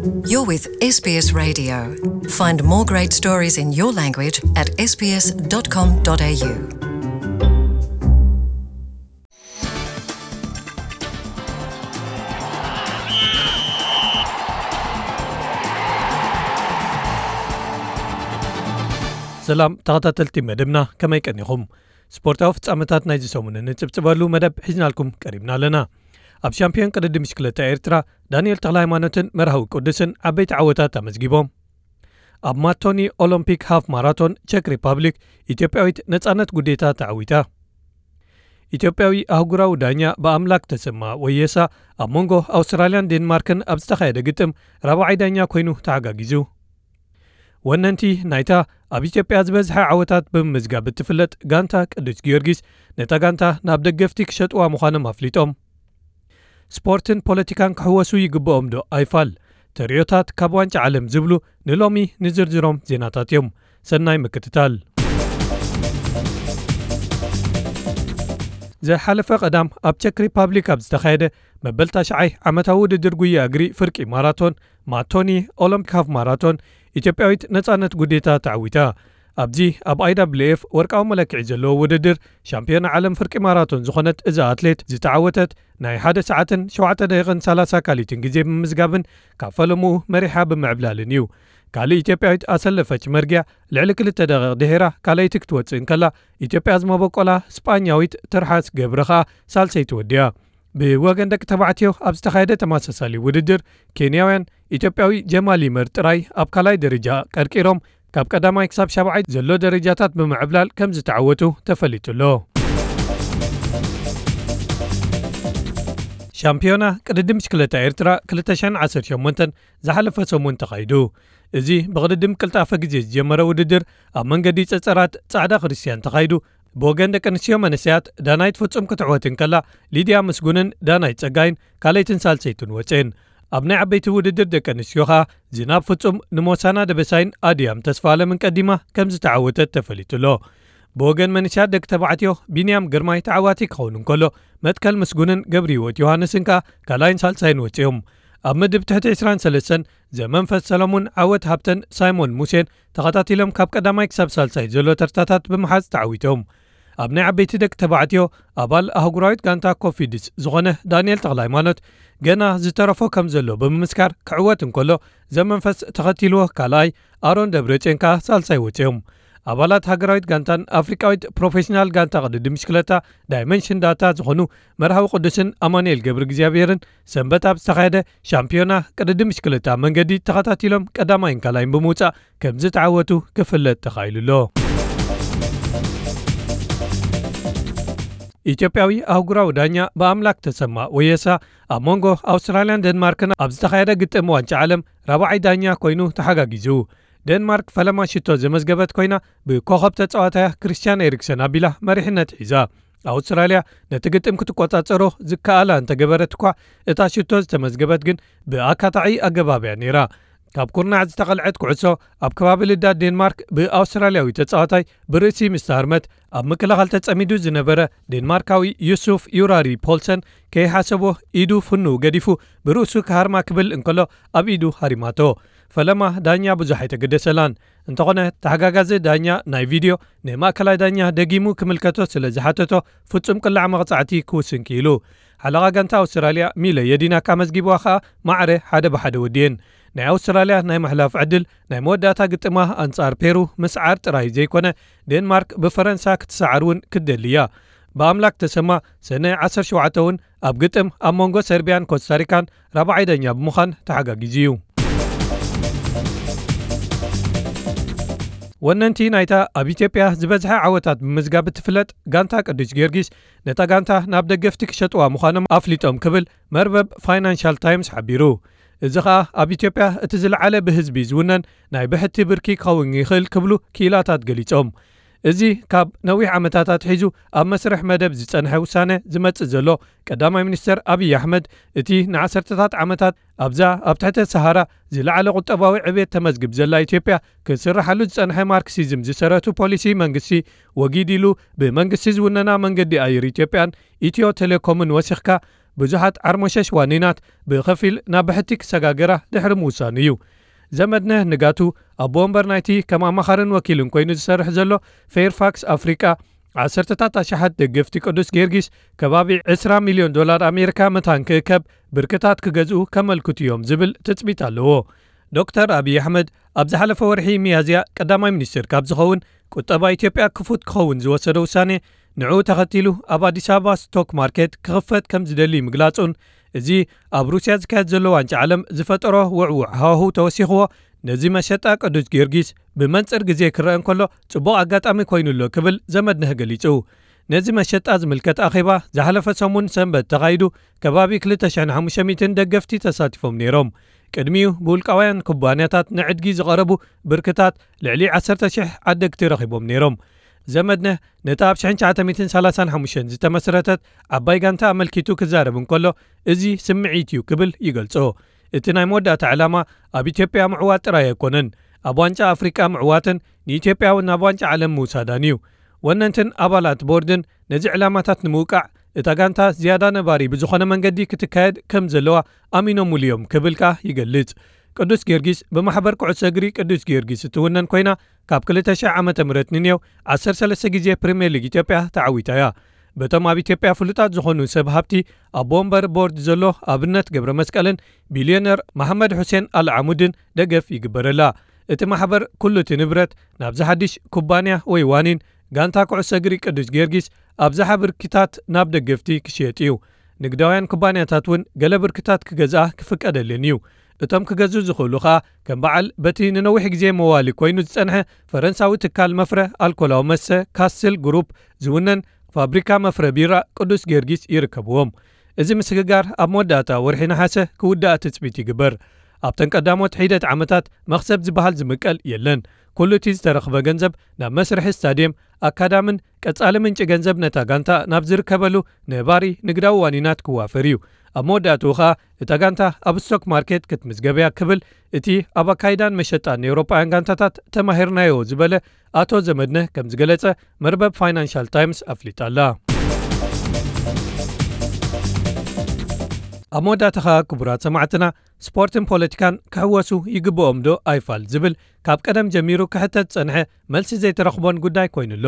You're with S B S Radio. Find more great stories in your language at S B S dot com dot A U. ሰላም ተኸታተልቲ መደብና፣ ከመይ ቀኒኹም? ስፖርታዊ ፍጻመታት ናይዚ ሰሙን እንጽብጽበሉ መደብ ሒዝናልኩም ቀሪብና ኣለና። ኣብ ሻምፒዮን ቅድድም ብሽክለታ ኤርትራ ዳንኤል ተኽለሃይማኖትን መርሃዊ ቅዱስን ዓበይቲ ዓወታት ኣመዝጊቦም። ኣብ ማቶኒ ኦሎምፒክ ሃፍ ማራቶን ቸክ ሪፓብሊክ፣ ኢትዮጵያዊት ነጻነት ጉዴታ ተዓዊታ። ኢትዮጵያዊ ኣህጉራዊ ዳኛ ብኣምላክ ተሰማ ወየሳ ኣብ መንጎ ኣውስትራልያን ዴንማርክን ኣብ ዝተኻየደ ግጥም ራብዓይ ዳኛ ኮይኑ ተሓጋጊዙ። ወነንቲ ናይታ ኣብ ኢትዮጵያ ዝበዝሐ ዓወታት ብምምዝጋብ እትፍለጥ ጋንታ ቅዱስ ጊዮርጊስ፣ ነታ ጋንታ ናብ ደገፍቲ ክሸጥዋ ምዃኖም ኣፍሊጦም። ስፖርትን ፖለቲካን ክሕወሱ ይግብኦም ዶ ኣይፋል? ተርእዮታት ካብ ዋንጫ ዓለም ዝብሉ ንሎሚ ንዝርዝሮም ዜናታት እዮም። ሰናይ ምክትታል። ዝሓለፈ ቀዳም ኣብ ቸክ ሪፓብሊክ ኣብ ዝተኻየደ መበል ታሽዓይ ዓመታዊ ውድድር ጉያ እግሪ ፍርቂ ማራቶን ማቶኒ ኦሎምፒክ ሃፍ ማራቶን፣ ኢትዮጵያዊት ነጻነት ጉዴታ ተዓዊታ። ኣብዚ ኣብ I W F ወርቃዊ መለክዒ ዘለዎ ውድድር ሻምፒዮና ዓለም ፍርቂ ማራቶን ዝኾነት እዛ ኣትሌት ዝተዓወተት፣ ናይ ሓደ ሰዓትን ሸውዓተ ደቂቕን ሰላሳ ካሊትን ግዜ ብምምዝጋብን ካብ ፈለምኡ መሪሓ ብምዕብላልን እዩ። ካልእ ኢትዮጵያዊት ኣሰለፈች መርጊያ ልዕሊ ክልተ ደቂቕ ድሒራ ካልኣይቲ ክትወጽእ እንከላ፣ ኢትዮጵያ ዝመበቆላ ስጳኛዊት ትርሓስ ገብረ ኸኣ ሳልሰይቲ ወዲያ። ብወገን ደቂ ተባዕትዮ ኣብ ዝተኻየደ ተመሳሳሊ ውድድር፣ ኬንያውያን ኢትዮጵያዊ ጀማል ይመር ጥራይ ኣብ ካልኣይ ደረጃ ቀርቂሮም፣ ካብ ቀዳማይ ክሳብ ሻብዓይ ዘሎ ደረጃታት ብምዕብላል ከም ዝተዓወቱ ተፈሊጡ ኣሎ። ሻምፒዮና ቅድድም ብሽክለታ ኤርትራ ክልተ ሽሕን ዓሰርተ ሸሞንተን ዝሓለፈ ሰሙን ተኻይዱ። እዚ ብቕድድም ቅልጣፈ ግዜ ዝጀመረ ውድድር ኣብ መንገዲ ጸጸራት ጻዕዳ ክርስትያን ተኻይዱ። ብወገን ደቂ ኣንስትዮ መንእሰያት ዳናይት ፍጹም ክትዕወት እንከላ፣ ሊድያ ምስጉንን ዳናይት ጸጋይን ካልኣይትን ሳልሰይትን ወጽኤን። ኣብ ናይ ዓበይቲ ውድድር ደቂ ኣንስትዮ ኸኣ ዝናብ ፍጹም ንሞሳና ደበሳይን ኣድያም ተስፋለምን ቀዲማ ከም ዝተዓወተት ተፈሊጡ ኣሎ። ብወገን መንእሰያት ደቂ ተባዕትዮ ቢንያም ግርማይ ተዓዋቲ ክኸውን እንከሎ፣ መትከል ምስጉንን ገብረ ህይወት ዮሃንስን ከኣ ካልኣይን ሳልሳይን ወጺኦም። ኣብ ምድብ ትሕቲ ዕስራን ሰለስተን ዘመንፈስ ሰለሙን፣ ዓወት ሃብተን ሳይሞን ሙሴን ተኸታቲሎም ካብ ቀዳማይ ክሳብ ሳልሳይ ዘሎ ተርታታት ብምሓዝ ተዓዊቶም። ኣብ ናይ ዓበይቲ ደቂ ተባዕትዮ ኣባል ኣህጉራዊት ጋንታ ኮፊድስ ዝኾነ ዳንኤል ተኽለሃይማኖት ገና ዝተረፎ ከም ዘሎ ብምምስካር ክዕወት እንከሎ፣ ዘመንፈስ ተኸቲልዎ ካልኣይ፣ ኣሮን ደብረጽዮን ከኣ ሳልሳይ ወጺኦም። ኣባላት ሃገራዊት ጋንታን ኣፍሪቃዊት ፕሮፌሽናል ጋንታ ቅድድም ብሽክለታ ዳይመንሽን ዳታ ዝኾኑ መርሃዊ ቅዱስን ኣማኑኤል ገብረ እግዚኣብሔርን ሰንበት ኣብ ዝተኻየደ ሻምፒዮና ቅድድም ብሽክለታ መንገዲ ተኸታቲሎም ቀዳማይን ካልኣይን ብምውጻእ ከም ዝተዓወቱ ክፍለጥ ተኻኢሉ ኣሎ። ኢትዮጵያዊ ኣህጉራዊ ዳኛ ብኣምላክ ተሰማ ወየሳ ኣብ መንጎ ኣውስትራልያን ደንማርክን ኣብ ዝተኻየደ ግጥም ዋንጫ ዓለም ራብዓይ ዳኛ ኮይኑ ተሓጋጊዙ። ደንማርክ ፈለማ ሽቶ ዘመዝገበት ኮይና፣ ብኮኸብ ተጻዋታያ ክርስቲያን ኤሪክሰን ኣቢላ መሪሕነት ሒዛ። ኣውስትራልያ ነቲ ግጥም ክትቆጻጸሮ ዝከኣላ እንተገበረት እኳ፣ እታ ሽቶ ዝተመዝገበት ግን ብኣካታዒ ኣገባብ እያ ነይራ። ካብ ኩርናዕ ዝተቐልዐት ኩዕሶ ኣብ ከባቢ ልዳት ዴንማርክ ብኣውስትራልያዊ ተጻዋታይ ብርእሲ ምስ ተሃርመት፣ ኣብ ምክልኻል ተጸሚዱ ዝነበረ ዴንማርካዊ ዩሱፍ ዩራሪ ፖልሰን ከይሓሰቦ ኢዱ ፍኑው ገዲፉ ብርእሱ ክሃርማ ክብል እንከሎ ኣብ ኢዱ ሃሪማቶ። ፈለማ ዳኛ ብዙሕ ኣይተገደሰላን። እንተኾነ ተሓጋጋዚ ዳኛ ናይ ቪድዮ ንማእከላይ ዳኛ ደጊሙ ክምልከቶ ስለ ዝሓተቶ ፍጹም ቅላዕ መቕጻዕቲ ክውስን ክኢሉ። ሓለቓ ጋንታ ኣውስትራልያ ሚለ የዲናክ ኣመዝጊብዋ ከኣ ማዕረ ሓደ ብሓደ ወዲኤን። ናይ ኣውስትራልያ ናይ ምሕላፍ ዕድል ናይ መወዳእታ ግጥማ ኣንጻር ፔሩ ምስዓር ጥራይ ዘይኮነ፣ ዴንማርክ ብፈረንሳ ክትሰዓር እውን ክትደሊ እያ። ብኣምላክ ተሰማ ሰነ ዓሰርተ ሸውዓተ እውን ኣብ ግጥም ኣብ መንጎ ሰርቢያን ኮስታሪካን ራብዓይ ዳኛ ብምዃን ተሓጋጊዙ እዩ። ወነንቲ ናይታ ኣብ ኢትዮጵያ ዝበዝሐ ዓወታት ብምዝጋብ እትፍለጥ ጋንታ ቅዱስ ጊዮርጊስ፣ ነታ ጋንታ ናብ ደገፍቲ ክሸጥዋ ምዃኖም ኣፍሊጦም ክብል መርበብ ፋይናንሻል ታይምስ ሓቢሩ። እዚ ኸኣ ኣብ ኢትዮጵያ እቲ ዝለዓለ ብህዝቢ ዝውነን ናይ ብሕቲ ብርኪ ክኸውን ይኽእል ክብሉ ክኢላታት ገሊጾም። እዚ ካብ ነዊሕ ዓመታት ኣትሒዙ ኣብ መስርሕ መደብ ዝጸንሐ ውሳነ ዝመጽእ ዘሎ ቀዳማይ ሚኒስተር ኣብይ ኣሕመድ፣ እቲ ንዓሰርተታት ዓመታት ኣብዛ ኣብ ትሕተ ሰሃራ ዝለዓለ ቁጠባዊ ዕብየት ተመዝግብ ዘላ ኢትዮጵያ ክስርሓሉ ዝጸንሐ ማርክሲዝም ዝሰረቱ ፖሊሲ መንግስቲ ወጊድ ኢሉ ብመንግስቲ ዝውነና መንገዲ ኣየር ኢትዮጵያን ኢትዮ ቴሌኮምን ወሲኽካ ብዙሓት ዓርሞሸሽ ዋኒናት ብኸፊል ናብ ብሕቲ ክሰጋገራ ድሕሪ ምውሳኑ እዩ። ዘመድነህ ንጋቱ ኣቦ ወንበር ናይቲ ከም ኣማኻርን ወኪልን ኮይኑ ዝሰርሕ ዘሎ ፌርፋክስ ኣፍሪቃ፣ ዓሰርተታት ኣሽሓት ደገፍቲ ቅዱስ ጊዮርጊስ ከባቢ ዕስራ ሚልዮን ዶላር ኣሜሪካ መታን ክእከብ ብርክታት ክገዝኡ ከመልክቱ እዮም ዝብል ትጽቢት ኣለዎ። ዶክተር ኣብይ ኣሕመድ ኣብ ዝሓለፈ ወርሒ ሚያዝያ ቀዳማይ ሚኒስትር ካብ ዝኸውን ቁጠባ ኢትዮጵያ ክፉት ክኸውን ዝወሰደ ውሳኔ፣ ንዕኡ ተኸቲሉ ኣብ ኣዲስ ኣበባ ስቶክ ማርኬት ክኽፈት ከም ዝደሊ ምግላጹን፣ እዚ ኣብ ሩስያ ዝካየድ ዘሎ ዋንጫ ዓለም ዝፈጠሮ ውዕውዕ ሃዋህው ተወሲኽዎ፣ ነዚ መሸጣ ቅዱስ ጊዮርጊስ ብመንጽር ግዜ ክረአ እንከሎ ጽቡቕ ኣጋጣሚ ኮይኑ ኣሎ ክብል ዘመድነህ ገሊጹ። ነዚ መሸጣ ዝምልከት ኣኼባ ዝሓለፈ ሰሙን ሰንበት ተኻይዱ፣ ከባቢ ክልተ ሽሕን ሓሙሽተ ሚእትን ደገፍቲ ተሳቲፎም ነይሮም። ቅድሚኡ ብውልቃውያን ኩባንያታት ንዕድጊ ዝቐረቡ ብርክታት ልዕሊ ዓሰርተ ሽሕ ዓደግቲ ረኺቦም ነይሮም። ዘመድነህ ነታ ኣብ ሽሕን ትሽዓተ ሚእትን ሰላሳን ሓሙሽተን ዝተመስረተት ዓባይ ጋንታ ኣመልኪቱ ክዛረብ እንከሎ፣ እዚ ስምዒት እዩ ክብል ይገልጾ። እቲ ናይ መወዳእታ ዕላማ ኣብ ኢትዮጵያ ምዕዋት ጥራይ ኣይኮነን፣ ኣብ ዋንጫ ኣፍሪቃ ምዕዋትን ንኢትዮጵያ እውን ናብ ዋንጫ ዓለም ምውሳዳን እዩ። ወነንትን ኣባላት ቦርድን ነዚ ዕላማታት ንምውቃዕ እታ ጋንታ ዝያዳ ነባሪ ብዝኾነ መንገዲ ክትካየድ ከም ዘለዋ ኣሚኖምሉ እዮም ክብል ከኣ ይገልጽ። ቅዱስ ጊዮርጊስ ብማሕበር ኩዕሶ እግሪ ቅዱስ ጊዮርጊስ እትውነን ኮይና፣ ካብ ክልተ ሽሕ ዓመተ ምህረት ንንየው ዓሰርተ ሰለስተ ግዜ ፕሪምየር ሊግ ኢትዮጵያ ተዓዊታ እያ። በቶም ኣብ ኢትዮጵያ ፍሉጣት ዝኾኑ ሰብ ሃብቲ፣ ኣቦ ወንበር ቦርድ ዘሎ ኣብነት ገብረ መስቀልን ቢልዮነር መሓመድ ሑሴን ኣልዓሙድን ደገፍ ይግበረላ። እቲ ማሕበር ኩሉ እቲ ንብረት ናብዚ ሓድሽ ኩባንያ ወይ ዋኒን ጋንታ ኩዕሶ እግሪ ቅዱስ ጊዮርጊስ ኣብዝሓ ብርክታት ናብ ደገፍቲ ክሽየጥ እዩ። ንግዳውያን ኩባንያታት እውን ገለ ብርክታት ክገዝኣ ክፍቀደለን እዩ። እቶም ክገዝኡ ዝኽእሉ ኸኣ ከም በዓል በቲ ንነዊሕ ግዜ መዋሊ ኮይኑ ዝጸንሐ ፈረንሳዊ ትካል መፍረ ኣልኮላዊ መስተ ካስል ግሩፕ ዝውነን ፋብሪካ መፍረ ቢራ ቅዱስ ጊዮርጊስ ይርከብዎም። እዚ ምስግጋር ኣብ መወዳእታ ወርሒ ነሓሰ ክውዳእ ትጽቢት ይግበር። ኣብተን ቀዳሞት ሒደት ዓመታት መኽሰብ ዝበሃል ዝምቀል የለን። ኩሉ እቲ ዝተረኽበ ገንዘብ ናብ መስርሒ ስታድየም፣ ኣካዳምን ቀጻሊ ምንጪ ገንዘብ ነታ ጋንታ ናብ ዝርከበሉ ነባሪ ንግዳዊ ዋኒናት ክዋፈር እዩ። ኣብ መወዳእትኡ ኸኣ እታ ጋንታ ኣብ ስቶክ ማርኬት ክትምዝገብ እያ ክብል እቲ ኣብ ኣካይዳን መሸጣን ንኤውሮጳውያን ጋንታታት ተማሂርናዮ ዝበለ ኣቶ ዘመድነህ ከም ዝገለጸ መርበብ ፋይናንሻል ታይምስ ኣፍሊጣ ኣላ። ኣብ መወዳእታ ኸኣ ክቡራት ሰማዕትና፣ ስፖርትን ፖለቲካን ክሕወሱ ይግብኦም ዶ ኣይፋል ዝብል ካብ ቀደም ጀሚሩ ክሕተት ዝጸንሐ መልሲ ዘይተረኽቦን ጉዳይ ኮይኑ ኣሎ።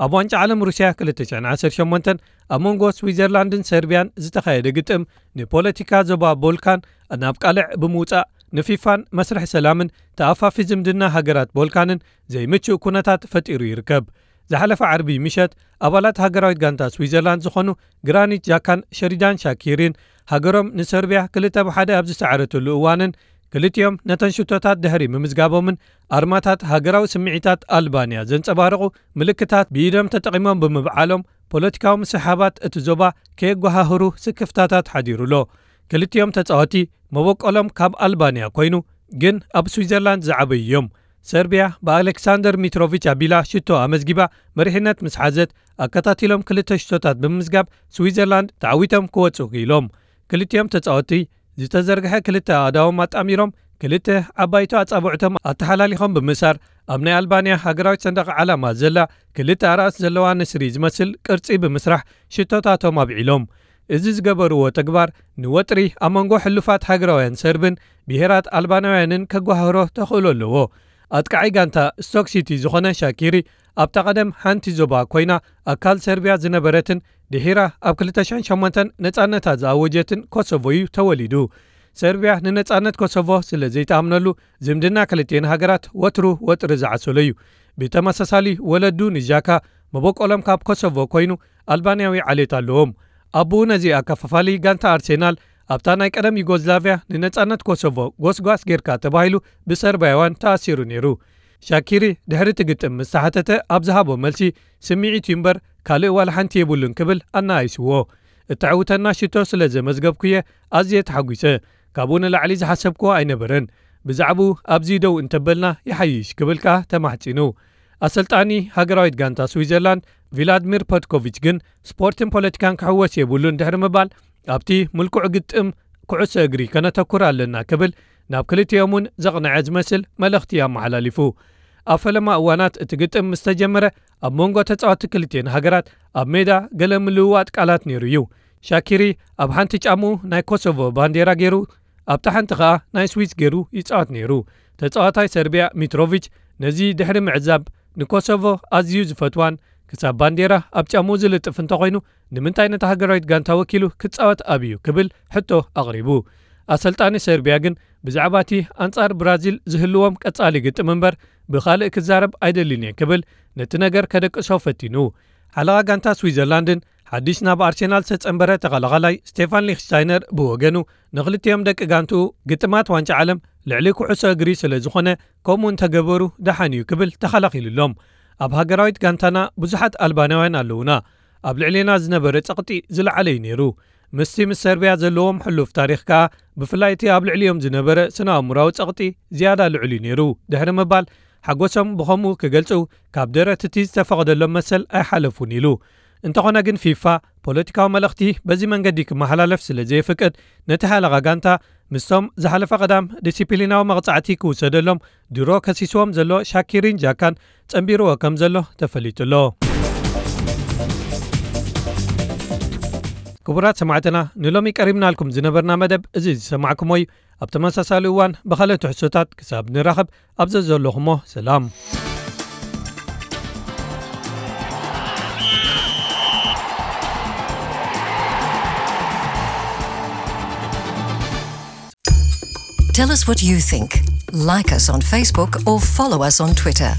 ኣብ ዋንጫ ዓለም ሩስያ ክልተ ሽሕን ዓሰርተ ሸሞንተን ኣብ መንጎ ስዊዘርላንድን ሰርቢያን ዝተኻየደ ግጥም ንፖለቲካ ዞባ ቦልካን ናብ ቃልዕ ብምውጻእ ንፊፋን መስርሕ ሰላምን ተኣፋፊ ዝምድና ሃገራት ቦልካንን ዘይምቹእ ኩነታት ፈጢሩ ይርከብ። ዝሓለፈ ዓርቢ ምሸት ኣባላት ሃገራዊት ጋንታ ስዊዘርላንድ ዝኾኑ ግራኒት ጃካን ሸሪዳን ሻኪሪን ሃገሮም ንሰርቢያ ክልተ ብሓደ ኣብ ዝሰዓረትሉ እዋንን ክልቲኦም ነተን ሽቶታት ድሕሪ ምምዝጋቦምን ኣርማታት ሃገራዊ ስምዒታት ኣልባንያ ዘንጸባርቑ ምልክታት ብኢዶም ተጠቒሞም ብምብዓሎም ፖለቲካዊ ምስሕሓባት እቲ ዞባ ከየጓሃህሩ ስክፍታታት ሓዲሩ ኣሎ። ክልቲኦም ተጻወቲ መበቆሎም ካብ ኣልባንያ ኮይኑ ግን ኣብ ስዊዘርላንድ ዝዓበዩ እዮም። ሰርቢያ ብኣሌክሳንደር ሚትሮቪች ኣቢላ ሽቶ ኣመዝጊባ መሪሕነት ምስ ሓዘት ኣከታቲሎም ክልተ ሽቶታት ብምምዝጋብ ስዊዘርላንድ ተዓዊቶም ክወጹ ክኢሎም። ክልቲኦም ተጻወቲ ዝተዘርግሐ ክልተ ኣእዳዎም ኣጣሚሮም ክልተ ዓባይቲ ኣጻብዕቶም ኣተሓላሊኾም ብምእሳር ኣብ ናይ ኣልባንያ ሃገራዊት ሰንደቕ ዓላማ ዘላ ክልተ ኣራእስ ዘለዋ ንስሪ ዝመስል ቅርጺ ብምስራሕ ሽቶታቶም ኣብዒሎም። እዚ ዝገበርዎ ተግባር ንወጥሪ ኣብ መንጎ ሕሉፋት ሃገራውያን ሰርብን ብሄራት ኣልባናውያንን ከጓህሮ ተኽእሎ ኣለዎ። ኣጥቃዓይ ጋንታ ስቶክ ሲቲ ዝኾነ ሻኪሪ ኣብታ ቀደም ሓንቲ ዞባ ኮይና ኣካል ሰርቢያ ዝነበረትን ድሒራ ኣብ ክልተ ሽሕን ሸሞንተን ነጻነታ ዝኣወጀትን ኮሶቮ እዩ ተወሊዱ። ሰርቢያ ንነጻነት ኮሶቮ ስለ ዘይትኣምነሉ ዝምድና ክልቲኤን ሃገራት ወትሩ ወጥሪ ዝዓሰሎ እዩ። ብተመሳሳሊ ወለዱ ንጃካ መበቆሎም ካብ ኮሶቮ ኮይኑ ኣልባንያዊ ዓሌት ኣለዎም። ኣቦኡ ነዚ ኣከፋፋሊ ጋንታ ኣርሴናል ኣብታ ናይ ቀደም ዩጎዝላቭያ ንነጻነት ኮሶቮ ጎስጓስ ጌርካ ተባሂሉ ብሰርባያውያን ተኣሲሩ ነይሩ። ሻኪሪ ድሕሪ እቲ ግጥም ምስ ተሓተተ ኣብ ዝሃቦ መልሲ ስምዒት እዩ እምበር ካልእ ዋላ ሓንቲ የብሉን ክብል ኣነኣኢስዎ። እተዕውተና ሽቶ ስለ ዘመዝገብኩየ ኣዝየ ተሓጒሰ። ካብኡ ንላዕሊ ዝሓሰብክዎ ኣይነበረን። ብዛዕባኡ ኣብዚ ደው እንተበልና ይሓይሽ ክብል ከኣ ተማሕጺኑ። ኣሰልጣኒ ሃገራዊት ጋንታ ስዊዘርላንድ ቪላድሚር ፐትኮቪች ግን ስፖርትን ፖለቲካን ክሕወስ የብሉን ድሕሪ ምባል ኣብቲ ምልኩዕ ግጥም ኩዕሶ እግሪ ከነተኩር ኣለና ክብል ናብ ክልቲኦም እውን ዘቕንዐ ዝመስል መልእኽቲ ኣመሓላሊፉ። ኣብ ፈለማ እዋናት እቲ ግጥም ምስ ተጀመረ ኣብ መንጎ ተጻወትቲ ክልቲኤን ሃገራት ኣብ ሜዳ ገለ ምልውዋጥ ቃላት ነይሩ እዩ። ሻኪሪ ኣብ ሓንቲ ጫምኡ ናይ ኮሶቮ ባንዴራ ገይሩ፣ ኣብታ ሓንቲ ኸኣ ናይ ስዊስ ገይሩ ይጻወት ነይሩ። ተጻዋታይ ሰርቢያ ሚትሮቪች ነዚ ድሕሪ ምዕዛብ፣ ንኮሶቮ ኣዝዩ ዝፈትዋን ክሳብ ባንዴራ ኣብ ጫምኡ ዝልጥፍ እንተኾይኑ፣ ንምንታይ ነታ ሃገራዊት ጋንታ ወኪሉ ክጻወት ኣብዩ ክብል ሕቶ ኣቕሪቡ። ኣሰልጣኒ ሰርቢያ ግን ብዛዕባ እቲ ኣንጻር ብራዚል ዝህልዎም ቀጻሊ ግጥም እምበር ብኻልእ ክዛረብ ኣይደልን እየ ክብል ነቲ ነገር ከደቅሶ ፈቲኑ። ሓለቓ ጋንታ ስዊዘርላንድን ሓድሽ ናብ ኣርሴናል ዝተጸንበረ ተኸላኻላይ ስቴፋን ሊክሽታይነር ብወገኑ፣ ንኽልቲኦም ደቂ ጋንትኡ ግጥማት ዋንጫ ዓለም ልዕሊ ኩዕሶ እግሪ ስለ ዝኾነ፣ ከምኡ እንተገበሩ ደሓን እዩ ክብል ተኸላኺሉሎም። ኣብ ሃገራዊት ጋንታና ብዙሓት ኣልባናውያን ኣለዉና። ኣብ ልዕሌና ዝነበረ ጸቕጢ ዝለዓለ እዩ ነይሩ። ምስቲ ምስ ሰርቢያ ዘለዎም ሕሉፍ ታሪኽ ከኣ፣ ብፍላይ እቲ ኣብ ልዕሊኦም ዝነበረ ስነ ኣእምሮኣዊ ጸቕጢ ዝያዳ ልዑል እዩ ነይሩ ድሕሪ ምባል፣ ሓጎሶም ብኸምኡ ክገልጹ ካብ ደረት እቲ ዝተፈቐደሎም መሰል ኣይሓለፉን ኢሉ። እንተኾነ ግን ፊፋ ፖለቲካዊ መልእኽቲ በዚ መንገዲ ክመሓላለፍ ስለ ዘየፍቅድ፣ ነቲ ሓለቓ ጋንታ ምስቶም ዝሓለፈ ቀዳም ዲሲፕሊናዊ መቕጻዕቲ ክውሰደሎም ድሮ ከሲስዎም ዘሎ ሻኪሪን ጃካን ጸንቢርዎ ከም ዘሎ ተፈሊጡ ኣሎ። ክቡራት ሰማዕትና፣ ንሎሚ ቀሪብናልኩም ዝነበርና መደብ እዚ ዝሰማዕኩሞ እዩ። ኣብ ተመሳሳሊ እዋን ብኻልእ ትሕዝቶታት ክሳብ ንራኸብ፣ ኣብ ዘዘለኹሞ ሰላም። Tell us what you think. Like us on Facebook or follow us on Twitter.